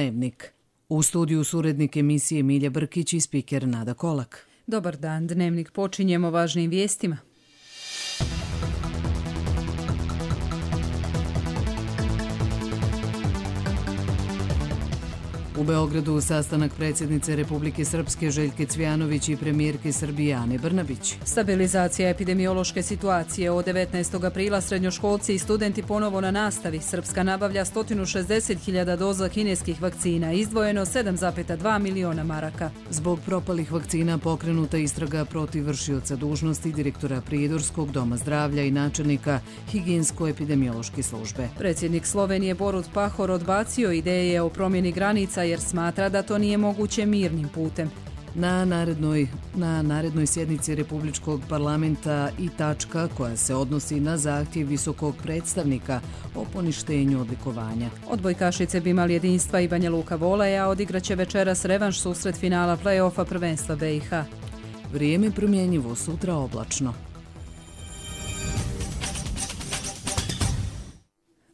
Dnevnik. U studiju su urednik emisije Milja Brkić i spiker Nada Kolak. Dobar dan, Dnevnik počinjemo važnim vijestima. U Beogradu sastanak predsjednice Republike Srpske Željke Cvijanović i premijerke Srbije Ane Brnabić. Stabilizacija epidemiološke situacije. Od 19. aprila srednjoškolci i studenti ponovo na nastavi. Srpska nabavlja 160.000 doza kineskih vakcina, izdvojeno 7,2 miliona maraka. Zbog propalih vakcina pokrenuta istraga protiv vršioca dužnosti direktora Prijedorskog doma zdravlja i načelnika higijensko-epidemiološke službe. Predsjednik Slovenije Borut Pahor odbacio ideje o promjeni granica jer smatra da to nije moguće mirnim putem. Na narednoj sjednici Republičkog parlamenta i tačka koja se odnosi na zahtjev visokog predstavnika o poništenju odlikovanja. Odbojkašice Bimal jedinstva i Banja Luka Voleja odigraće večeras revanš susret finala play-offa prvenstva BiH. Vrijeme promjenjivo, sutra oblačno.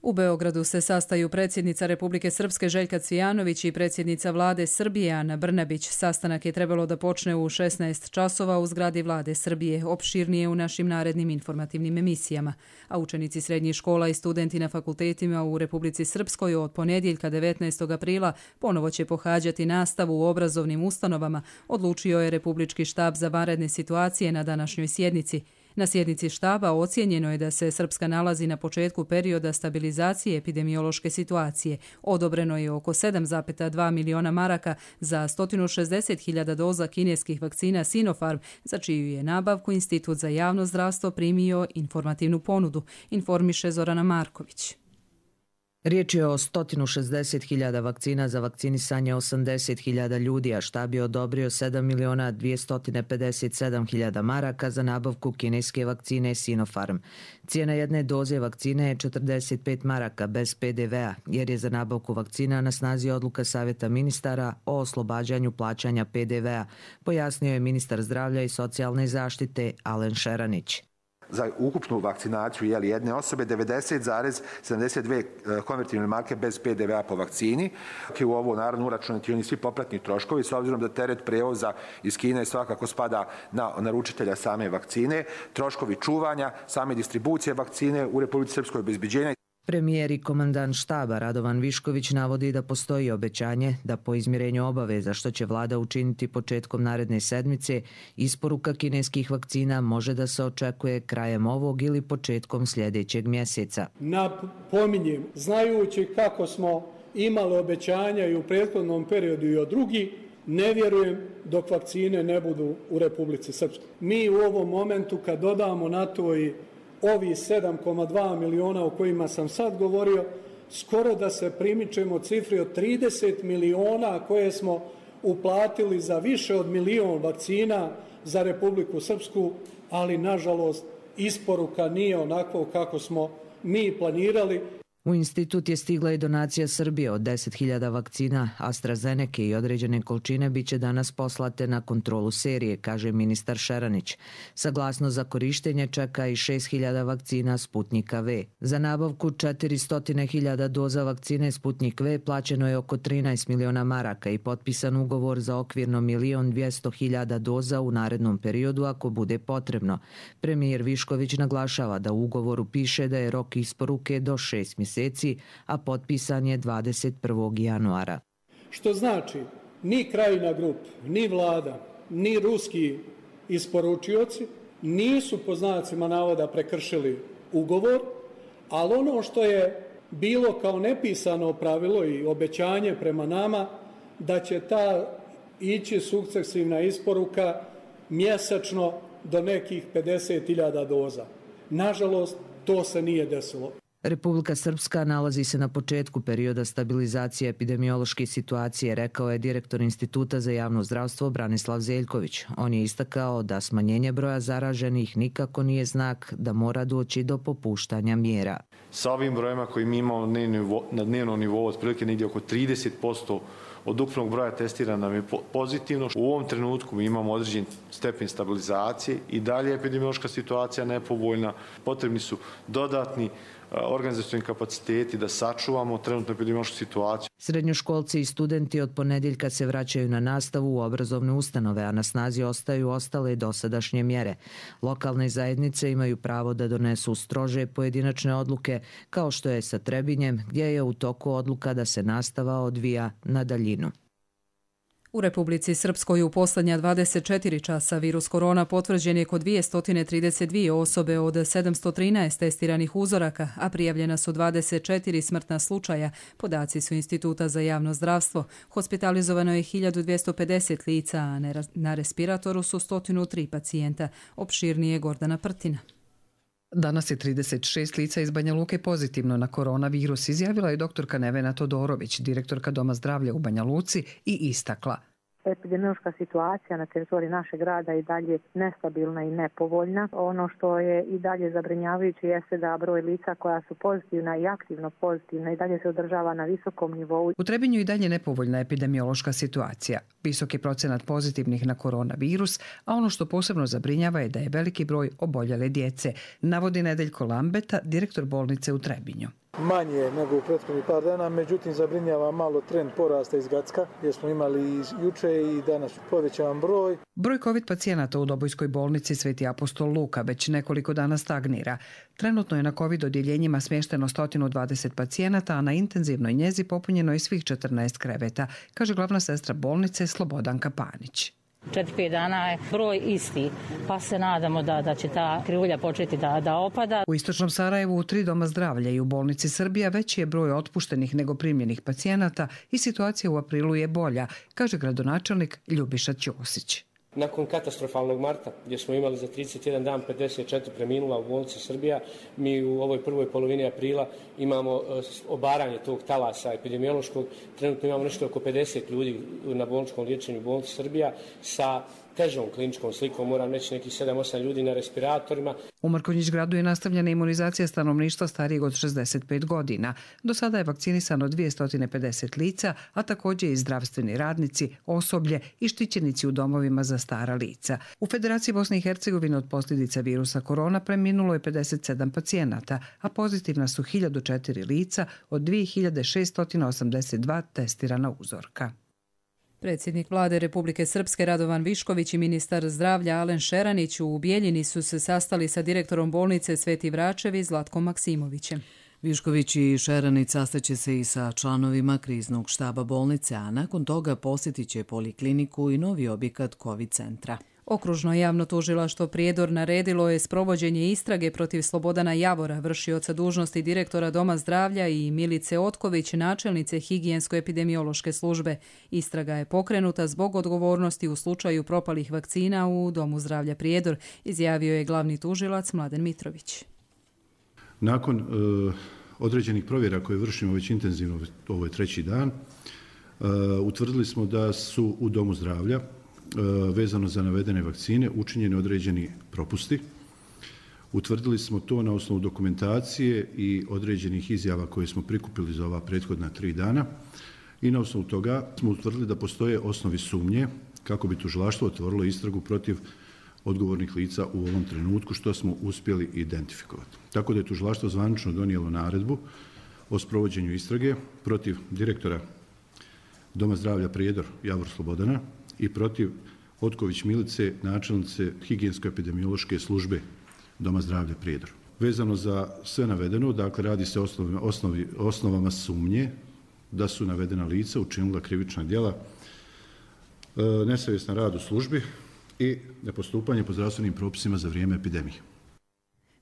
U Beogradu se sastaju predsjednica Republike Srpske Željka Cvijanović i predsjednica vlade Srbije Ana Brnabić. Sastanak je trebalo da počne u 16 časova u zgradi vlade Srbije, opširnije u našim narednim informativnim emisijama. A učenici srednjih škola i studenti na fakultetima u Republici Srpskoj od ponedjeljka 19. aprila ponovo će pohađati nastavu u obrazovnim ustanovama, odlučio je Republički štab za vanredne situacije na današnjoj sjednici. Na sjednici štaba ocijenjeno je da se Srpska nalazi na početku perioda stabilizacije epidemiološke situacije. Odobreno je oko 7,2 miliona maraka za 160.000 doza kineskih vakcina Sinopharm, za čiju je nabavku Institut za javno zdravstvo primio informativnu ponudu, informiše Zorana Marković. Riječ je o 160.000 vakcina za vakcinisanje 80.000 ljudi, a štab je odobrio 7.257.000 maraka za nabavku kineske vakcine Sinopharm. Cijena jedne doze vakcine je 45 maraka bez PDV-a, jer je za nabavku vakcina na snazi odluka Savjeta ministara o oslobađanju plaćanja PDV-a, pojasnio je ministar zdravlja i socijalne zaštite Alen Šeranić. Za ukupnu vakcinaciju jedne osobe 90,72 konvertibilne marke bez PDV-a po vakcini. U ovo naravno uračunati oni svi popratni troškovi, s obzirom da teret prevoza iz Kine svakako spada na naručitelja same vakcine, troškovi čuvanja, same distribucije vakcine u Republici Srpskoj, obezbeđenja. Premijer i komandant štaba Radovan Višković navodi da postoji obećanje da po izmirenju obaveza što će vlada učiniti početkom naredne sedmice, isporuka kineskih vakcina može da se očekuje krajem ovog ili početkom sljedećeg mjeseca. Napominjem, znajući kako smo imali obećanja i u prethodnom periodu i od drugih, ne vjerujem dok vakcine ne budu u Republici Srpskoj. Mi u ovom momentu kad dodamo na to i ovi 7,2 miliona o kojima sam sad govorio, skoro da se primičemo cifri od 30 miliona koje smo uplatili za više od milion vakcina za Republiku Srpsku, ali nažalost isporuka nije onako kako smo mi planirali. U institut je stigla i donacija Srbije od 10.000 vakcina AstraZeneca i određene količine biće danas poslate na kontrolu serije, kaže ministar Šeranić. Saglasno za korištenje čeka i 6.000 vakcina Sputnika V. Za nabavku 400.000 doza vakcine Sputnik V plaćeno je oko 13 miliona maraka i potpisan ugovor za okvirno 1.200.000 doza u narednom periodu ako bude potrebno. Premijer Višković naglašava da u ugovoru piše da je rok isporuke do 6 mjeseci, a potpisan je 21. januara. Što znači, ni Krajina Grup, ni vlada, ni ruski isporučioci nisu po znacima navoda prekršili ugovor, ali ono što je bilo kao nepisano pravilo i obećanje prema nama, da će ta ići sukcesivna isporuka mjesečno do nekih 50.000 doza. Nažalost, to se nije desilo. Republika Srpska nalazi se na početku perioda stabilizacije epidemiološke situacije, rekao je direktor Instituta za javno zdravstvo Branislav Zeljković. On je istakao da smanjenje broja zaraženih nikako nije znak da mora doći do popuštanja mjera. Sa ovim brojima koji mi imamo na dnevnom nivou, otprilike negdje oko 30% od ukupnog broja testirana nam je pozitivno. U ovom trenutku mi imamo određen stepen stabilizacije i dalje epidemiološka situacija nepovoljna. Potrebni su dodatni organizacioni kapaciteti da sačuvamo trenutnu epidemiološku situaciju. Srednjoškolci i studenti od ponedjeljka se vraćaju na nastavu u obrazovne ustanove, a na snazi ostaju ostale dosadašnje mjere. Lokalne zajednice imaju pravo da donesu strože pojedinačne odluke, kao što je sa Trebinjem, gdje je u toku odluka da se nastava odvija na daljinu. U Republici Srpskoj u posljednja 24 časa virus korona potvrđen je kod 232 osobe od 713 testiranih uzoraka, a prijavljena su 24 smrtna slučaja. Podaci su Instituta za javno zdravstvo. Hospitalizovano je 1250 lica, a na respiratoru su 103 pacijenta. Opširnije Gordana Prtina. Danas je 36 lica iz Banja Luke pozitivno na koronavirus, izjavila je doktorka Nevena Todorović, direktorka Doma zdravlja u Banja Luci, i istakla: Epidemiološka situacija na teritoriji našeg grada je i dalje nestabilna i nepovoljna. Ono što je i dalje zabrinjavajuće jeste da broj lica koja su pozitivna i aktivno pozitivna i dalje se održava na visokom nivou. U Trebinju i dalje nepovoljna epidemiološka situacija. Visok je procenat pozitivnih na koronavirus, a ono što posebno zabrinjava je da je veliki broj oboljele djece, navodi Nedeljko Lambeta, direktor bolnice u Trebinju. Manje nego u prethodnih par dana, međutim zabrinjava malo trend porasta iz Gacka, gdje smo imali juče i danas povećavan broj. Broj COVID pacijenata u Dobojskoj bolnici Sveti apostol Luka već nekoliko dana stagnira. Trenutno je na COVID odjeljenjima smješteno 120 pacijenata, a na intenzivnoj njezi popunjeno je svih 14 kreveta, kaže glavna sestra bolnice Slobodanka Panić. 4-5 dana je broj isti, pa se nadamo da će ta krivulja početi da opada. U istočnom Sarajevu u 3 doma zdravlja i u bolnici Srbija veći je broj otpuštenih nego primljenih pacijenata i situacija u aprilu je bolja, kaže gradonačelnik Ljubiša Ćosić. Nakon katastrofalnog marta, gdje smo imali za 31 dan 54 preminula u bolnici Srbija, mi u ovoj prvoj polovini aprila imamo obaranje tog talasa epidemiološkog. Trenutno imamo nešto oko 50 ljudi na bolničkom liječenju u bolnici Srbija sa težom kliničkom slikom, moram reći nekih 7-8 ljudi na respiratorima. U Mrkonjić gradu je nastavljena imunizacija stanovništva starijeg od 65 godina. Do sada je vakcinisano 250 lica, a također i zdravstveni radnici, osoblje i štićenici u domovima za stara lica. U Federaciji Bosne i Hercegovine od posljedica virusa korona preminulo je 57 pacijenata, a pozitivna su 1004 lica od 2682 testirana uzorka. Predsjednik vlade Republike Srpske Radovan Višković i ministar zdravlja Alen Šeranić u Bijeljini su se sastali sa direktorom bolnice Sveti Vračevi Zlatkom Maksimovićem. Višković i Šeranić sastaće se i sa članovima kriznog štaba bolnice, a nakon toga posjetit će polikliniku i novi objekat COVID centra. Okružno javno tužilaštvo Prijedor naredilo je sprovođenje istrage protiv Slobodana Javora, vršioca dužnosti direktora Doma zdravlja, i Milice Otković, načelnice higijensko-epidemiološke službe. Istraga je pokrenuta zbog odgovornosti u slučaju propalih vakcina u Domu zdravlja Prijedor, izjavio je glavni tužilac Mladen Mitrović. Nakon određenih provjera koje vršimo već intenzivno, ovo je 3. dan, utvrdili smo da su u Domu zdravlja vezano za navedene vakcine učinjeni određeni propusti. Utvrdili smo to na osnovu dokumentacije i određenih izjava koje smo prikupili za ova prethodna 3 dana i na osnovu toga smo utvrdili da postoje osnovi sumnje kako bi tužilaštvo otvorilo istragu protiv odgovornih lica u ovom trenutku, što smo uspjeli identifikovati. Tako da je tužilaštvo zvanično donijelo naredbu o sprovođenju istrage protiv direktora Doma zdravlja Prijedor Javor Slobodana i protiv Otković Milice, načelnice higijensko-epidemiološke službe Doma zdravlja Prijedor. Vezano za sve navedeno, dakle radi se o osnovama sumnje da su navedena lica učinila krivična djela, nesavjestan rad u službi i nepostupanje po zdravstvenim propisima za vrijeme epidemije.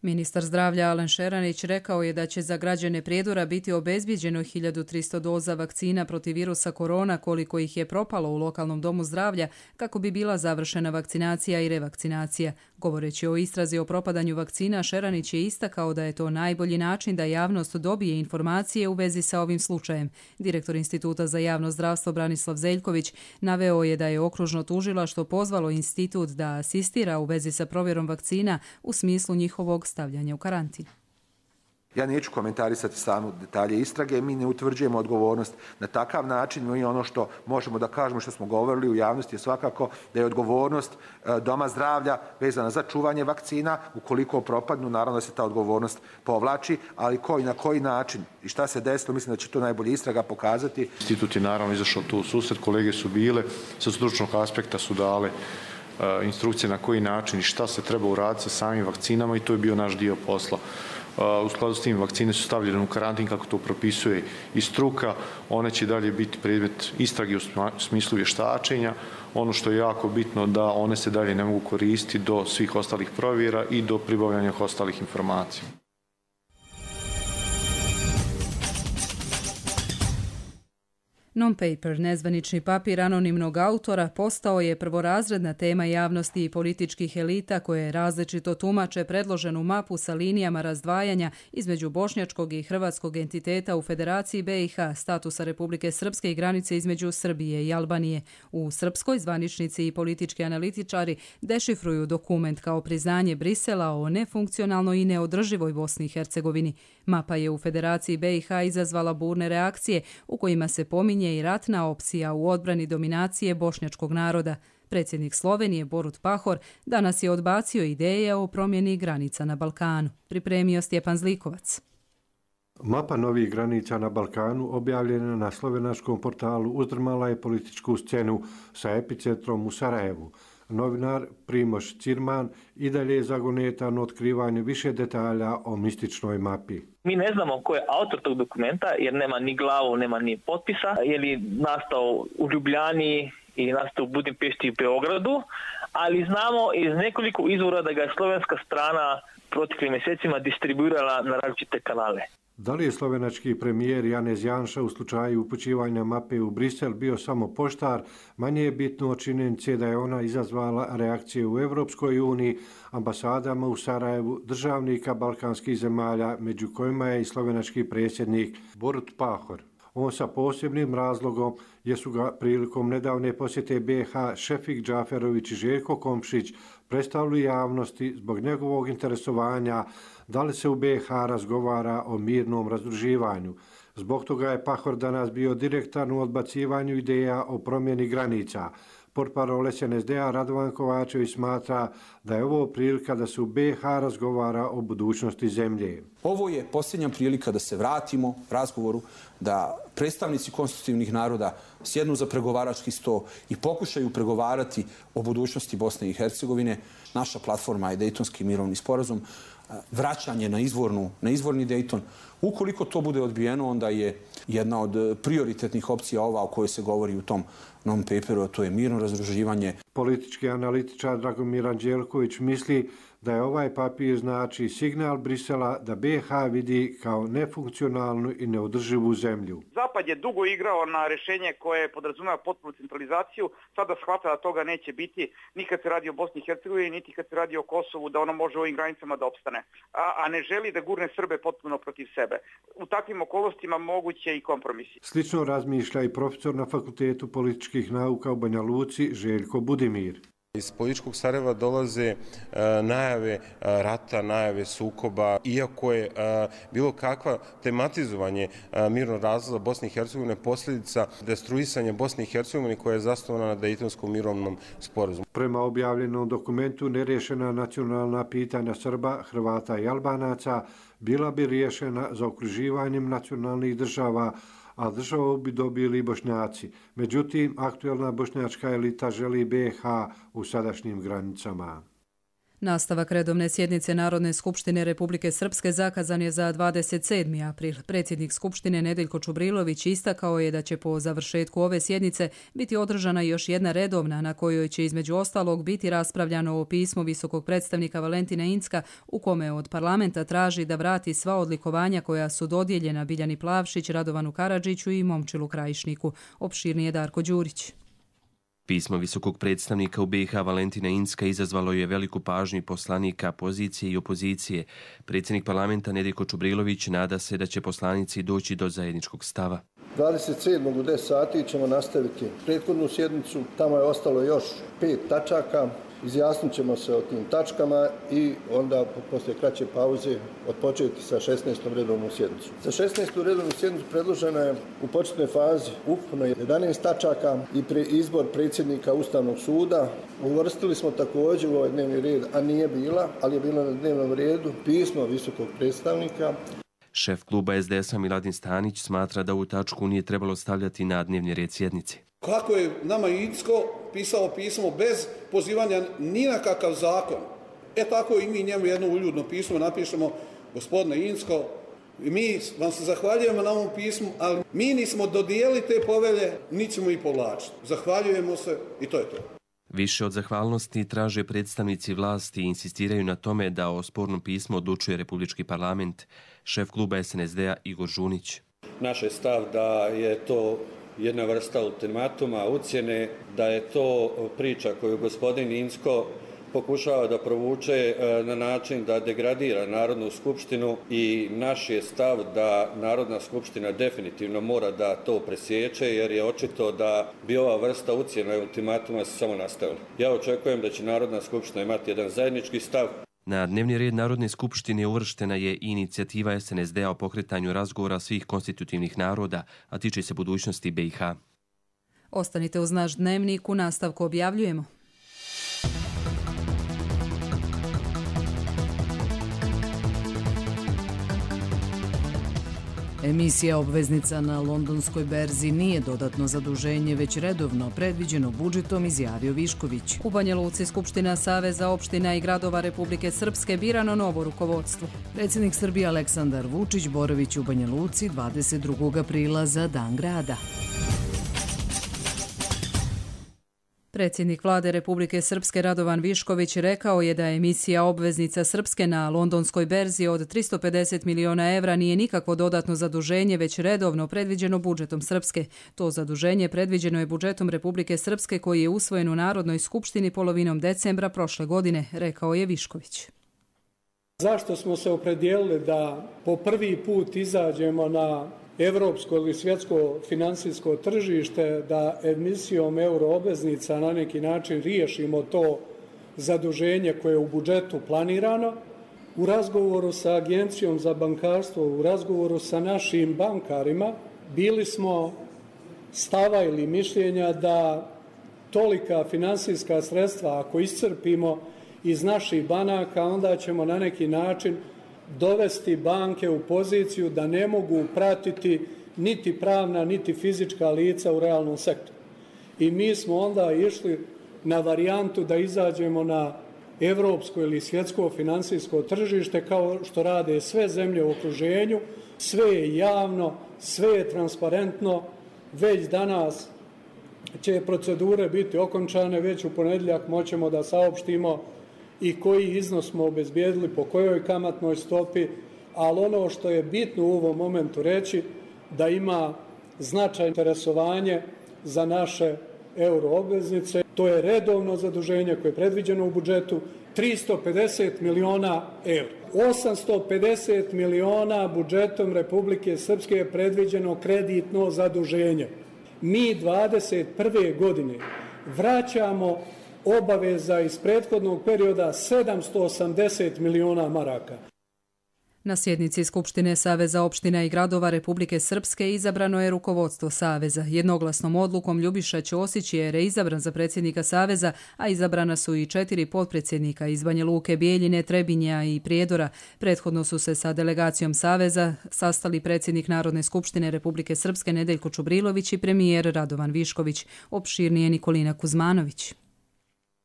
Ministar zdravlja Alen Šeranić rekao je da će za građane Prijedora biti obezbijeđeno 1300 doza vakcina protiv virusa korona, koliko ih je propalo u lokalnom domu zdravlja, kako bi bila završena vakcinacija i revakcinacija. Govoreći o istrazi o propadanju vakcina, Šeranić je istakao da je to najbolji način da javnost dobije informacije u vezi sa ovim slučajem. Direktor Instituta za javno zdravstvo Branislav Zeljković naveo je da je okružno tužilaštvo pozvalo institut da asistira u vezi sa provjerom vakcina u smislu njihovog stavljanja u karantin. Ja neću komentarisati samo detalje istrage, mi ne utvrđujemo odgovornost na takav način. Mi ono što možemo da kažemo, što smo govorili u javnosti, je svakako da je odgovornost Doma zdravlja vezana za čuvanje vakcina. Ukoliko propadnu, naravno da se ta odgovornost povlači, ali ko i na koji način i šta se desilo, mislim da će to najbolje istraga pokazati. Institut je naravno izašao tu u susret, kolege su bile, sa stručnog aspekta su dale instrukcije na koji način i šta se treba uraditi sa samim vakcinama i to je bio naš dio posla. U skladu s tim vakcine su stavljene u karantin kako to propisuje i struka. One će dalje biti predmet istrage u smislu vještačenja. Ono što je jako bitno da one se dalje ne mogu koristiti do svih ostalih provjera i do pribavljanja ostalih informacija. Non-paper, nezvanični papir anonimnog autora, postao je prvorazredna tema javnosti i političkih elita koje različito tumače predloženu mapu sa linijama razdvajanja između bošnjačkog i hrvatskog entiteta u Federaciji BiH, statusa Republike Srpske i granice između Srbije i Albanije. U srpskoj zvaničnici i politički analitičari dešifruju dokument kao priznanje Brisela o nefunkcionalnoj i neodrživoj Bosni i Hercegovini. Mapa je u Federaciji BiH izazvala burne reakcije u kojima se pominje i ratna opcija u odbrani dominacije bošnjačkog naroda. Predsjednik Slovenije Borut Pahor danas je odbacio ideje o promjeni granica na Balkanu. Pripremio Stjepan Zlikovac. Mapa novih granica na Balkanu, objavljena na slovenačkom portalu, uzdrmala je političku scenu sa epicentrom u Sarajevu. Novinar Primož Cirman i dalje je zagonetan u otkrivanju više detalja o mističnoj mapi. Mi ne znamo ko je autor tog dokumenta jer nema ni glavu, nema ni potpisa. Je li nastao u Ljubljani ili nastao u Budimpešti i Beogradu, ali znamo iz nekoliko izvora da ga je slovenska strana proteklim mjesecima distribuirala na različite kanale. Da li je slovenački premijer Janez Janša u slučaju upućivanja mape u Brisel bio samo poštar, manje je bitno od činjenice da je ona izazvala reakcije u Europskoj uniji, ambasadama u Sarajevu, državnika balkanskih zemalja, među kojima je i slovenački predsjednik Borut Pahor. On sa posebnim razlogom jer su ga prilikom nedavne posjete BiH Šefik Džaferović i Željko Komšić predstavili javnosti zbog njegovog interesovanja da li se u BiH razgovara o mirnom razdruživanju. Zbog toga je Pahor danas bio direktan u odbacivanju ideja o promjeni granica. Portparol SNSD-a Radovan Kovačević smatra da je ovo prilika da se u BiH razgovara o budućnosti zemlje. Ovo je posljednja prilika da se vratimo razgovoru, da predstavnici konstitutivnih naroda sjednu za pregovarački sto i pokušaju pregovarati o budućnosti Bosne i Hercegovine. Naša platforma je Dejtonski mirovni sporazum, vraćanje na izvorni Dejton. Ukoliko to bude odbijeno, onda je jedna od prioritetnih opcija ova o kojoj se govori u tom non-paperu, a to je mirno razdruživanje. Politički analitičar Dragomir Anđelković misli da je ovaj papir znači signal Brisela da BiH vidi kao nefunkcionalnu i neodrživu zemlju. Zapad je dugo igrao na rješenje koje podrazumijeva potpunu centralizaciju. Sada shvata da toga neće biti ni kad se radi o Bosni i Hercegovini, niti kad se radi o Kosovu, da ono može u ovim granicama da opstane. A ne želi da gurne Srbe potpuno protiv sebe. U takvim okolnostima moguće i kompromisi. Slično razmišlja i profesor na Fakultetu političkih nauka u Banja Luci Željko Budimir. Iz političkog Sarajeva dolaze najave rata, najave sukoba, iako je bilo kakva tematizovanje mirnog razvoja Bosne i Hercegovine posljedica destruisanja Bosne i Hercegovine koja je zasnovana na Dejtonskom mirovnom sporazumu. Prema objavljenom dokumentu nerješena nacionalna pitanja Srba, Hrvata i Albanaca bila bi riješena zaokruživanjem nacionalnih država, a državu bi dobili Bošnjaci. Međutim, aktuelna bošnjačka elita želi BiH u sadašnjim granicama. Nastavak redovne sjednice Narodne skupštine Republike Srpske zakazan je za 27. april. Predsjednik skupštine Nedeljko Čubrilović istakao je da će po završetku ove sjednice biti održana još jedna redovna na kojoj će između ostalog biti raspravljano o pismu visokog predstavnika Valentina Incka u kome od parlamenta traži da vrati sva odlikovanja koja su dodijeljena Biljani Plavšić, Radovanu Karadžiću i Momčilu Krajišniku. Opširnije Darko Đurić. Pismo visokog predstavnika u BiH Valentina Incka izazvalo je veliku pažnju poslanika pozicije i opozicije. Predsjednik parlamenta Nedeljko Čubrilović nada se da će poslanici doći do zajedničkog stava. 27. u 10 sati ćemo nastaviti prethodnu sjednicu. Tamo je ostalo još 5 tačaka. Izjasnit ćemo se o tim tačkama i onda poslije kraće pauze odpočeti sa 16. redovnom sjednicom. Za 16. redovnu sjednicu predloženo je u početnoj fazi ukupno 11 tačaka i izbor predsjednika Ustavnog suda. Uvrstili smo također u ovaj dnevni red, a nije bila, ali je bila na dnevnom redu, pismo visokog predstavnika. Šef kluba SDS-a Miladin Stanić smatra da ovu tačku nije trebalo stavljati na dnevni red sjednice. Kako je nama Incko pisao pismo bez pozivanja ni na kakav zakon, tako i mi njemu jedno uljudno pismo napišemo: gospodine Incko, mi vam se zahvaljujemo na ovom pismu, ali mi nismo dodijelili te povelje, niti ćemo ih povlačiti. Zahvaljujemo se i to je to. Više od zahvalnosti traže predstavnici vlasti i insistiraju na tome da o spornom pismu odlučuje Republički parlament. Šef kluba SNSD-a Igor Žunić. Naš je stav da je to jedna vrsta ultimatuma, ucjene, da je to priča koju gospodin Incko pokušava da provuče na način da degradira Narodnu skupštinu i naš je stav da Narodna skupština definitivno mora da to presječe, jer je očito da bi ova vrsta ucjena i ultimatuma se samo nastavila. Ja očekujem da će Narodna skupština imati jedan zajednički stav. Na dnevni red Narodne skupštine uvrštena je i inicijativa SNSD-a o pokretanju razgovora svih konstitutivnih naroda, a tiče se budućnosti BiH. Ostanite uz naš dnevnik, u nastavku objavljujemo. Emisija obveznica na londonskoj berzi nije dodatno zaduženje, već redovno predviđeno budžetom, izjavio Višković. U Banja Luci Skupština Saveza opština i gradova Republike Srpske birano novo rukovodstvo. Predsjednik Srbije Aleksandar Vučić boravić u Banja Luci 22. aprila za Dan grada. Predsjednik vlade Republike Srpske Radovan Višković rekao je da emisija obveznica Srpske na londonskoj berzi od 350 miliona evra nije nikakvo dodatno zaduženje, već redovno predviđeno budžetom Srpske. To zaduženje predviđeno je budžetom Republike Srpske koji je usvojen u Narodnoj skupštini polovinom decembra prošle godine, rekao je Višković. Zašto smo se opredijelili da po prvi put izađemo na evropsko ili svjetsko finansijsko tržište, da emisijom euroobveznica na neki način riješimo to zaduženje koje je u budžetu planirano? U razgovoru sa Agencijom za bankarstvo, u razgovoru sa našim bankarima, bili smo stava ili mišljenja da tolika finansijska sredstva, ako iscrpimo iz naših banaka, onda ćemo na neki način dovesti banke u poziciju da ne mogu pratiti niti pravna, niti fizička lica u realnom sektoru. I mi smo onda išli na varijantu da izađemo na evropsko ili svjetsko finansijsko tržište kao što rade sve zemlje u okruženju. Sve je javno, sve je transparentno. Već danas će procedure biti okončane, već u ponedjeljak moćemo da saopštimo i koji iznos smo obezbijedili, po kojoj kamatnoj stopi, ali ono što je bitno u ovom momentu reći, da ima značajno interesovanje za naše euroobveznice. To je redovno zaduženje koje je predviđeno u budžetu, 350 miliona evra. 850 miliona budžetom Republike Srpske je predviđeno kreditno zaduženje. Mi 21. godine vraćamo obaveza iz prethodnog perioda 780 miliona maraka. Na sjednici Skupštine Saveza opština i gradova Republike Srpske izabrano je rukovodstvo Saveza. Jednoglasnom odlukom Ljubiša Ćosić je reizabran za predsjednika Saveza, a izabrana su i 4 potpredsjednika iz Banja Luke, Bijeljine, Trebinja i Prijedora. Prethodno su se sa delegacijom Saveza sastali predsjednik Narodne skupštine Republike Srpske Nedeljko Čubrilović i premijer Radovan Višković. Opširnije Nikolina Kuzmanović.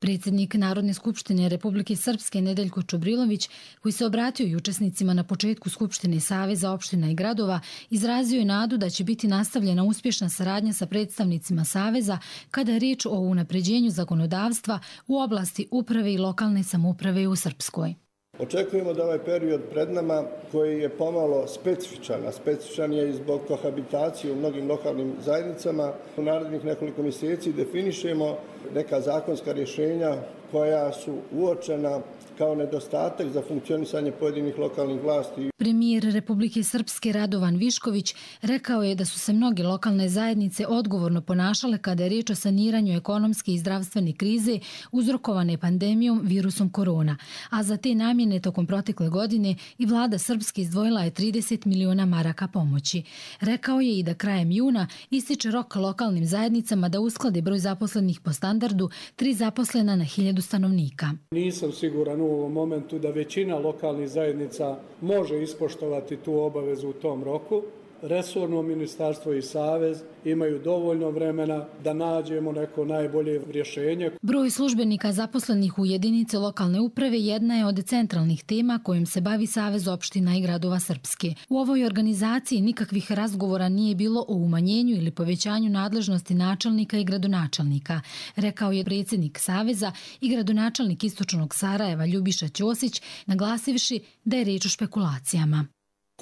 Predsjednik Narodne skupštine Republike Srpske Nedeljko Čubrilović, koji se obratio i učesnicima na početku Skupštine Saveza opština i gradova, izrazio je nadu da će biti nastavljena uspješna saradnja sa predstavnicima Saveza kada je riječ o unapređenju zakonodavstva u oblasti uprave i lokalne samouprave u Srpskoj. Očekujemo da ovaj period pred nama, koji je pomalo specifičan, a specifičan je i zbog kohabitacije u mnogim lokalnim zajednicama, u narednih nekoliko mjeseci definišemo neka zakonska rješenja koja su uočena kao nedostatak za funkcionisanje pojedinih lokalnih vlasti. Premijer Republike Srpske Radovan Višković rekao je da su se mnoge lokalne zajednice odgovorno ponašale kada je riječ o saniranju ekonomske i zdravstvene krize uzrokovane pandemijom virusom korona, a za te namjene tokom protekle godine i vlada Srpske izdvojila je 30 miliona maraka pomoći. Rekao je i da krajem juna ističe rok lokalnim zajednicama da usklade broj zaposlenih po standardu 3 zaposlena na 1000 stanovnika. Nisam siguran u ovom momentu da većina lokalnih zajednica može ispoštovati tu obavezu u tom roku. Resorno ministarstvo i savez imaju dovoljno vremena da nađemo neko najbolje rješenje. Broj službenika zaposlenih u jedinice lokalne uprave jedna je od centralnih tema kojim se bavi Savez opština i gradova Srpske. U ovoj organizaciji nikakvih razgovora nije bilo o umanjenju ili povećanju nadležnosti načelnika i gradonačelnika, rekao je predsjednik Saveza i gradonačelnik Istočnog Sarajeva Ljubiša Ćosić, naglasivši da je riječ o špekulacijama.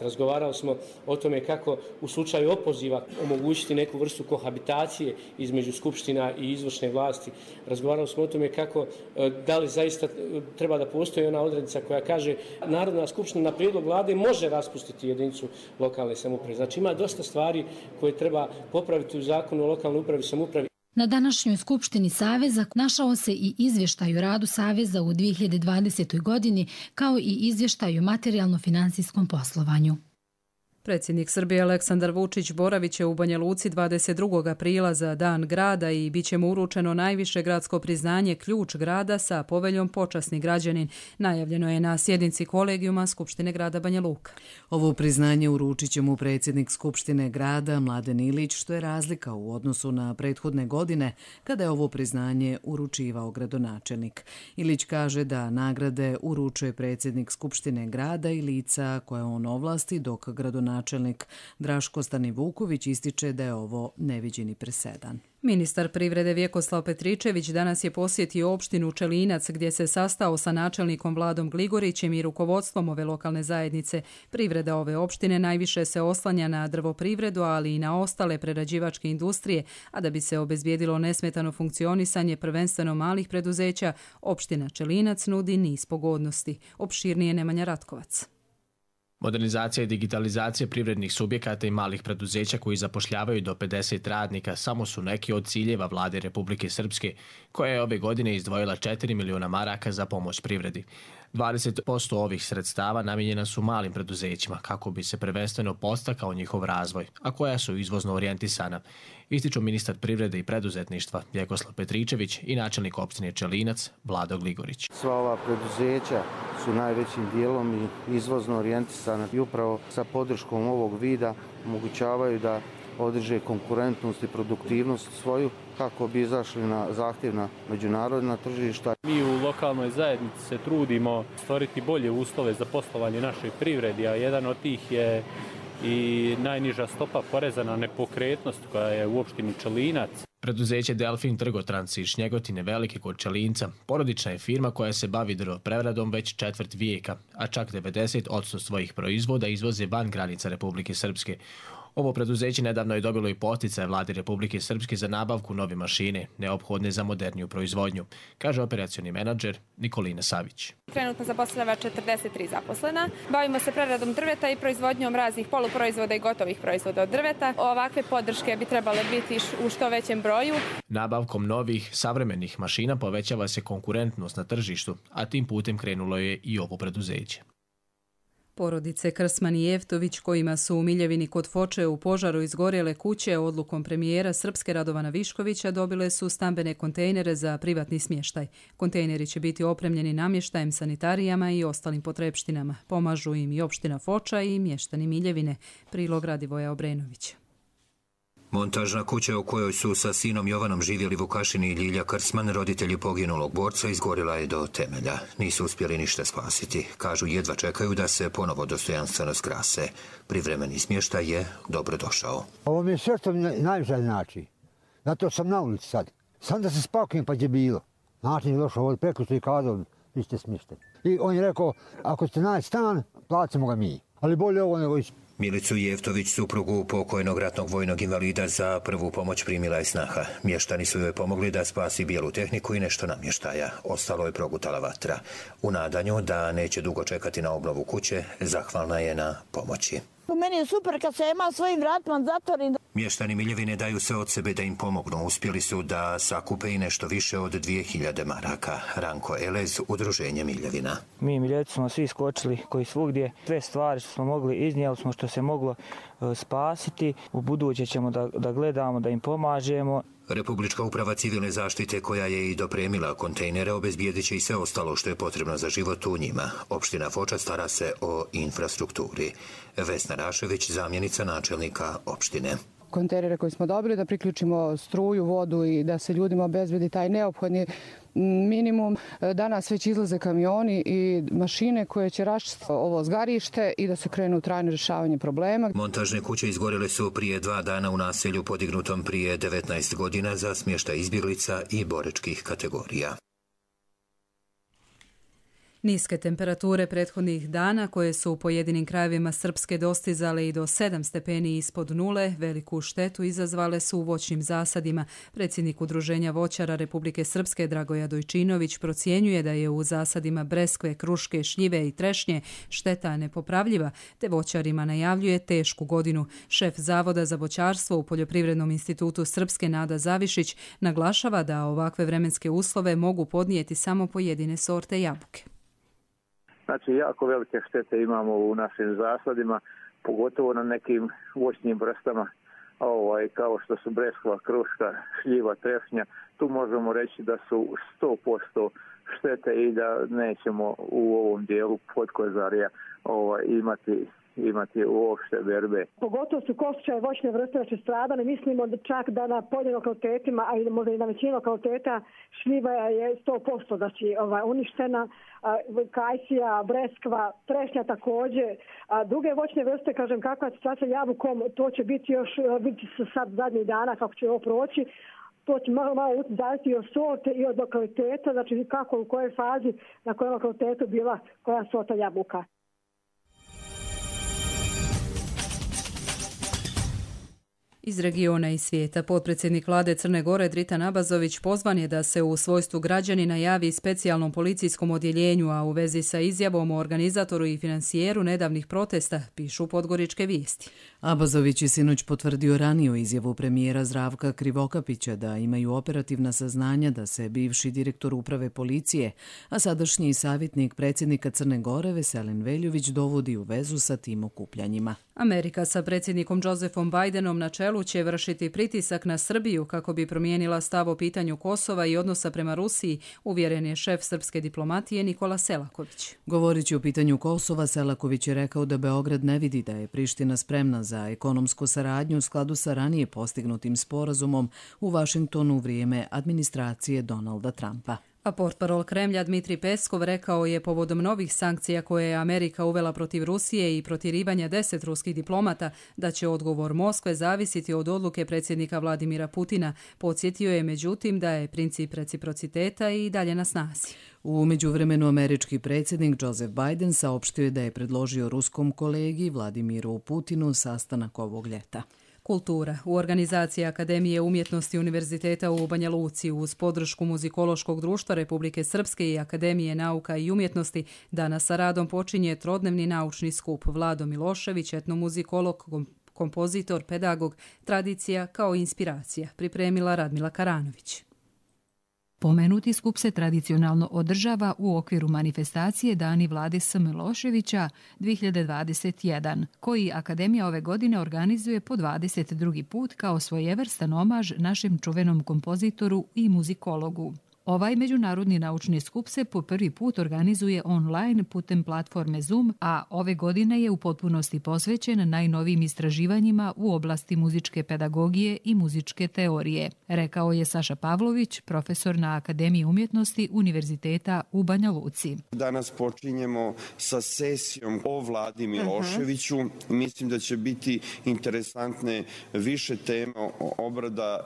Razgovarali smo o tome kako u slučaju opoziva omogućiti neku vrstu kohabitacije između skupština i izvršne vlasti. Razgovarali smo o tome kako, da li zaista treba da postoji ona odrednica koja kaže Narodna skupština na prijedlog vlade može raspustiti jedinicu lokalne samouprave. Znači ima dosta stvari koje treba popraviti u zakonu o lokalnoj upravi i samoupravi. Na današnjoj skupštini Saveza našao se i izvještaj o radu Saveza u 2020. godini, kao i izvještaj o materijalno-finansijskom poslovanju. Predsjednik Srbije Aleksandar Vučić boravit će u Banja Luci 22. aprila za Dan grada i bit će mu uručeno najviše gradsko priznanje Ključ grada sa poveljom Počasni građanin. Najavljeno je na sjednici kolegijuma Skupštine grada Banja Luka. Ovo priznanje uručit će mu predsjednik Skupštine grada Mladen Ilić, što je razlika u odnosu na prethodne godine kada je ovo priznanje uručivao gradonačelnik. Ilić kaže da nagrade uručuje predsjednik Skupštine grada i lica koje on ovlasti, dok gradonačelnik Draško Stanivuković ističe da je ovo neviđeni presedan. Ministar privrede Vjekoslav Petričević danas je posjetio opštinu Čelinac gdje se sastao sa načelnikom Vladom Gligorićem i rukovodstvom ove lokalne zajednice. Privreda ove opštine najviše se oslanja na drvoprivredu, ali i na ostale prerađivačke industrije, a da bi se obezbijedilo nesmetano funkcionisanje prvenstveno malih preduzeća, opština Čelinac nudi niz pogodnosti. Opširnije Nemanja Ratkovac. Modernizacija i digitalizacija privrednih subjekata i malih preduzeća koji zapošljavaju do 50 radnika samo su neki od ciljeva vlade Republike Srpske, koja je ove godine izdvojila 4 miliona maraka za pomoć privredi. 20% ovih sredstava namijenjena su malim preduzećima kako bi se prvenstveno podstakao njihov razvoj, a koja su izvozno orijentisana, ističu ministar privrede i preduzetništva Vjekoslav Petričević i načelnik opštine Čelinac Vlado Gligorić. Sva ova preduzeća su najvećim dijelom i izvozno orijentisana i upravo sa podrškom ovog vida omogućavaju da održe konkurentnost i produktivnost svoju kako bi izašli na zahtjevna međunarodna tržišta. Mi u lokalnoj zajednici se trudimo stvoriti bolje uslove za poslovanje našoj privredi, a jedan od tih je i najniža stopa poreza na nepokretnost koja je u opštini Čelinac. Preduzeće Delfin Trgotrans iz Šnjegotine Velike kod Čelinca porodična je firma koja se bavi drvopreradom već četvrt vijeka, a čak 90% svojih proizvoda izvoze van granica Republike Srpske. Ovo preduzeće nedavno je dobilo i posticaje vlade Republike Srpske za nabavku nove mašine, neophodne za moderniju proizvodnju, kaže operacioni menadžer Nikolina Savić. Trenutno zaposlava 43 zaposlena. Bavimo se preradom drveta i proizvodnjom raznih poluproizvoda i gotovih proizvoda od drveta. Ovakve podrške bi trebale biti u što većem broju. Nabavkom novih, savremenih mašina povećava se konkurentnost na tržištu, a tim putem krenulo je i ovo preduzeće. Porodice Krsman i Jeftović, kojima su u Miljevini kod Foče u požaru izgorjele kuće, odlukom premijera Srpske Radovana Viškovića dobile su stambene kontejnere za privatni smještaj. Kontejneri će biti opremljeni namještajem, sanitarijama i ostalim potrepštinama. Pomažu im i opština Foča i mještani Miljevine. Prilog Radivoja Obrenovića. Montažna kuća u kojoj su sa sinom Jovanom živjeli Vukašin i Ljilja Krsman, roditelji poginulog borca, izgorila je do temelja. Nisu uspjeli ništa spasiti. Kažu jedva čekaju da se ponovo dostojanstveno skrase. Privremeni smještaj je dobro došao. Ovo mi je sve što najviše znači. Zato sam na ulici sad. Sam da se spakujem pa je bilo. Način je došao ovdje preko što je kazao, vi ste smještaj. I on je rekao, ako ćete naći stan, placimo ga mi. Ali bolje ovo nego Milicu Jeftović, suprugu pokojnog ratnog vojnog invalida, za prvu pomoć primila je snaha. Mještani su joj pomogli da spasi bijelu tehniku i nešto namještaja. Ostalo je progutala vatra. U nadanju da neće dugo čekati na obnovu kuće, zahvalna je na pomoći. Meni je super kad se ima svojim vratima zatvorim. Mještani Miljevine daju sve od sebe da im pomognu. Uspjeli su da sakupe i nešto više od 2000 maraka. Ranko Elez, Udruženje Miljevina. Mi Miljevci smo svi skočili koji svugdje. Sve stvari što smo mogli, iznijeli smo što se moglo spasiti. U buduće ćemo da gledamo, da im pomažemo. Republička uprava civilne zaštite, koja je i dopremila kontejnere, obezbijedit će i sve ostalo što je potrebno za život u njima. Opština Foča stara se o infrastrukturi. Vesna Rašević, zamjenica načelnika opštine. Kontejnere koje smo dobili, da priključimo struju, vodu i da se ljudima obezbedi taj neophodni minimum. Danas već izlaze kamioni i mašine koje će raščistiti ovo zgarište i da se krenu u trajno rješavanje problema. Montažne kuće izgorjele su prije 2 dana u naselju podignutom prije 19 godina za smještaj izbjeglica i boračkih kategorija. Niske temperature prethodnih dana, koje su u pojedinim krajevima Srpske dostizale i do 7 stepeni ispod nule, veliku štetu izazvale su u voćnim zasadima. Predsjednik Udruženja voćara Republike Srpske Dragoja Dojčinović procjenjuje da je u zasadima breskve, kruške, šljive i trešnje šteta nepopravljiva, te voćarima najavljuje tešku godinu. Šef Zavoda za voćarstvo u Poljoprivrednom institutu Srpske Nada Zavišić naglašava da ovakve vremenske uslove mogu podnijeti samo pojedine sorte jabuke. Znači, jako velike štete imamo u našim zasadima, pogotovo na nekim voćnim vrstama, kao što su breskva, kruška, šljiva, trešnja. Tu možemo reći da su 100% štete i da nećemo u ovom dijelu podkozarja imati uopšte berbe. Pogotovo su kostičave voćne vrste znači stradane. Mislimo da čak da na pojedinim lokalitetima, a i možda i na većini lokaliteta, šljiva je 100% znači uništena, kajsija, breskva, trešnja također. Druge voćne vrste, kažem, kakva je situacija jabukom, to će biti još, vidite se sad zadnjih dana kako će ovo proći. To će malo zaviti od sorte i od lokaliteta, znači kako, u kojoj fazi, na kojem lokalitetu bila koja sorta jabuka. Iz regiona i svijeta, potpredsjednik vlade Crne Gore Dritan Abazović pozvan je da se u svojstvu građanina javi specijalnom policijskom odjeljenju, a u vezi sa izjavom o organizatoru i financijeru nedavnih protesta, pišu Podgoričke vijesti. Abazović je sinoć potvrdio raniju izjavu premijera Zdravka Krivokapića da imaju operativna saznanja da se bivši direktor uprave policije, a sadašnji savjetnik predsjednika Crne Gore Veselin Veljović dovodi u vezu sa tim okupljanjima. Amerika sa predsjednikom Josefom Bidenom na čelu će vršiti pritisak na Srbiju kako bi promijenila stav o pitanju Kosova i odnosa prema Rusiji, uvjeren je šef srpske diplomatije Nikola Selaković. Govoreći o pitanju Kosova, Selaković je rekao da Beograd ne vidi da je Priština spremna za ekonomsku saradnju u skladu sa ranije postignutim sporazumom u Vašingtonu u vrijeme administracije Donalda Trumpa. A portparol Kremlja Dmitrij Peskov rekao je povodom novih sankcija koje je Amerika uvela protiv Rusije i protirivanja 10 ruskih diplomata da će odgovor Moskve zavisiti od odluke predsjednika Vladimira Putina. Podsjetio je međutim da je princip reciprociteta i dalje na snazi. U međuvremenu američki predsjednik Joseph Biden saopštio je da je predložio ruskom kolegi Vladimiru Putinu sastanak ovog ljeta. Kultura. U organizaciji Akademije umjetnosti Univerziteta u Banja Luci uz podršku Muzikološkog društva Republike Srpske i Akademije nauka i umjetnosti danas sa radom počinje trodnevni naučni skup. Vlado Milošević, etnomuzikolog, kompozitor, pedagog, tradicija kao inspiracija, pripremila Radmila Karanović. Pomenuti skup se tradicionalno održava u okviru manifestacije Dani Vlade S. Miloševića 2021, koji Akademija ove godine organizuje po 22. put kao svojevrstan omaž našem čuvenom kompozitoru i muzikologu. Ovaj međunarodni naučni skup se po prvi put organizuje online putem platforme Zoom, a ove godine je u potpunosti posvećen najnovijim istraživanjima u oblasti muzičke pedagogije i muzičke teorije, rekao je Saša Pavlović, profesor na Akademiji umjetnosti Univerziteta u Banja Luci. Danas počinjemo sa sesijom o Vladi Miloševiću. Mislim da će biti interesantne više teme obrada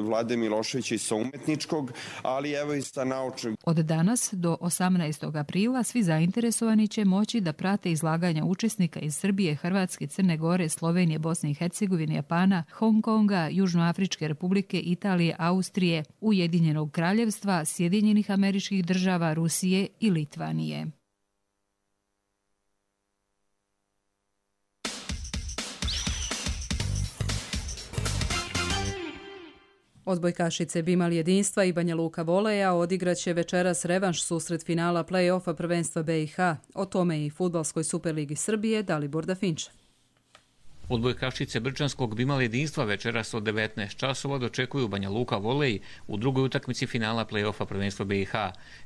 Vlade Miloševića i sa umetničkog ali evo i sa naučnim. Od danas do 18. aprila svi zainteresovani će moći da prate izlaganja učesnika iz Srbije, Hrvatske, Crne Gore, Slovenije, Bosne i Hercegovine, Japana, Hong Konga, Južnoafričke Republike, Italije, Austrije, Ujedinjenog Kraljevstva, Sjedinjenih Američkih Država, Rusije i Litvanije. Odbojkašice Bimal Jedinstva i Banja Luka Voleja odigraće večeras revanš susret finala play-offa prvenstva BiH. O tome i Fudbalskoj Superligi Srbije Dalibor Dafinčev. Odbojkašice Brčanskog Bimal Jedinstva večeras od 19 časova dočekuju Banja Luka Volej u drugoj utakmici finala play-offa prvenstva BiH.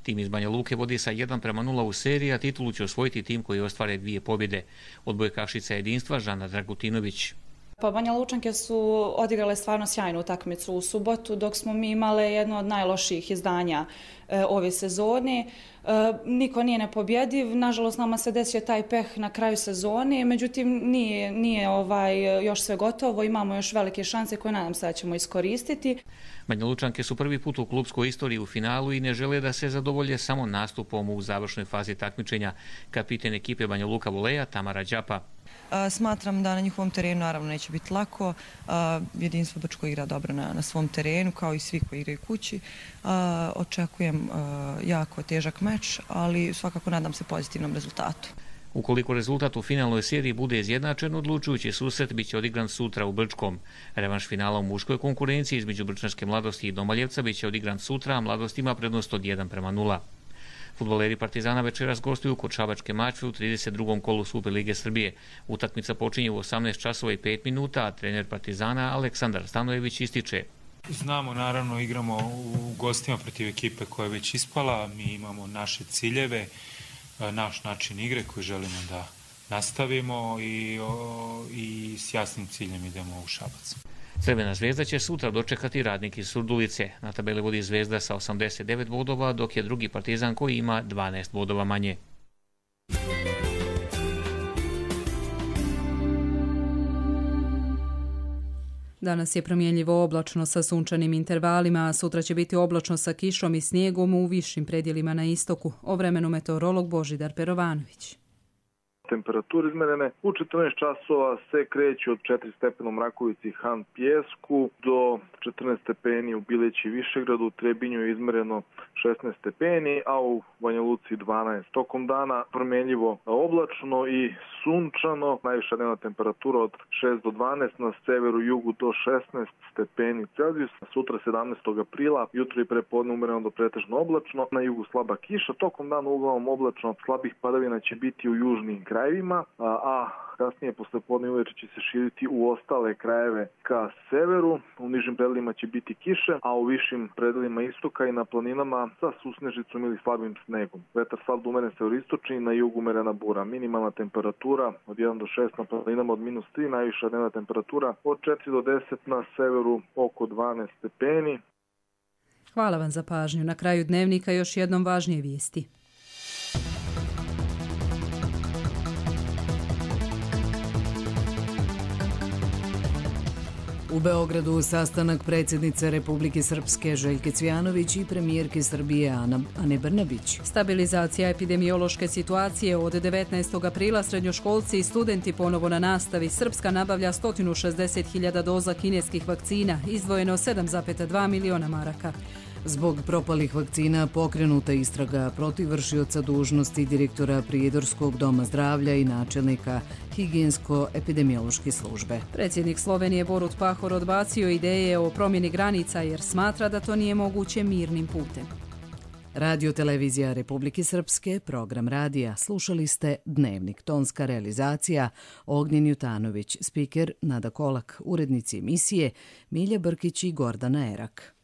Tim iz Banja Luke vodi sa 1:0 u seriji, a titulu će osvojiti tim koji ostvare 2 pobjede. Odbojkašica Jedinstva Žana Dragutinović. Pa Banja Lučanke su odigrale stvarno sjajnu utakmicu u subotu, dok smo mi imale jedno od najlošijih izdanja ove sezone. Niko nije nepobjediv, nažalost nama se desio taj peh na kraju sezone, međutim nije još sve gotovo, imamo još velike šanse koje nadam se da ćemo iskoristiti. Banja Lučanke su prvi put u klubskoj istoriji u finalu i ne žele da se zadovolje samo nastupom u završnoj fazi takmičenja. Kapiten ekipe Banja Luka Voleja Tamara Đapa. Smatram da na njihovom terenu naravno neće biti lako. Jedinstvo Brčko igra dobro na svom terenu, kao i svi koji igraju kući. Očekujem jako težak meč, ali svakako nadam se pozitivnom rezultatu. Ukoliko rezultat u finalnoj seriji bude izjednačen, odlučujući susret biće odigran sutra u Brčkom. Revanš finala u muškoj konkurenciji između Brčanske mladosti i Domaljevca biće odigran sutra, a mladost ima prednost od 1:0. Fudbaleri Partizana večeras gostuju kod Šabačke Mačve u 32. kolu Superlige Srbije. Utakmica počinje u 18 časova i 5 minuta, a trener Partizana Aleksandar Stanojević ističe: Znamo, naravno, igramo u gostima protiv ekipe koja je već ispala, mi imamo naše ciljeve, naš način igre koji želimo da nastavimo i s jasnim ciljem idemo u Šabac. Crvena zvezda će sutra dočekati Radnik iz Surdulice. Na tabeli vodi Zvezda sa 89 bodova, dok je drugi Partizan koji ima 12 bodova manje. Danas je promjenljivo oblačno sa sunčanim intervalima, a sutra će biti oblačno sa kišom i snijegom u višim predjelima na istoku. O vremenu meteorolog Božidar Perovanović. Temperature izmerene u 14 časova se kreću od 4 stepena u Mrakovici i Han Pijesku do 14 stepeni u Bileći i Višegradu. U Trebinju je izmereno 16 stepeni, a u Banja Luci 12. Tokom dana promjenljivo oblačno i sunčano. Najviša dnevna temperatura od 6 do 12, na severu i jugu do 16 stepeni Celzijusa. Sutra 17. aprila, jutro i prepodne umereno do pretežno oblačno, na jugu slaba kiša. Tokom dana uglavnom oblačno, slabih padavina će biti u južnim krajevima, a kasnije posle podne uveče će se širiti u ostale krajeve ka severu. U nižim predelima će biti kiše, a u višim predelima istoka i na planinama sa susnežicom ili slabim snegom. Vetar slab do umeren severistočni, na jugu umerena bura. Minimalna temperatura od 1 do 6 na planinama od -3, najviša dnevna temperatura od 4 do 10 na severu oko 12 stepeni. Hvala vam za pažnju. Na kraju dnevnika još jednom važnije vijesti. U Beogradu sastanak predsjednice Republike Srpske Željke Cvijanović i premijerke Srbije Ane Brnabić. Stabilizacija epidemiološke situacije od 19. aprila srednjoškolci i studenti ponovo na nastavi. Srpska nabavlja 160.000 doza kineskih vakcina, izdvojeno 7,2 miliona maraka. Zbog propalih vakcina pokrenuta istraga protiv vršioca dužnosti direktora Prijedorskog doma zdravlja i načelnika higijensko-epidemiološke službe. Predsjednik Slovenije Borut Pahor odbacio ideje o promjeni granica jer smatra da to nije moguće mirnim putem. Radio televizija Republike Srpske, program radija. Slušali ste Dnevnik. Tonska realizacija Ognjen Jutanović, spiker Nada Kolak, urednici emisije Milja Brkić i Gordana Erak.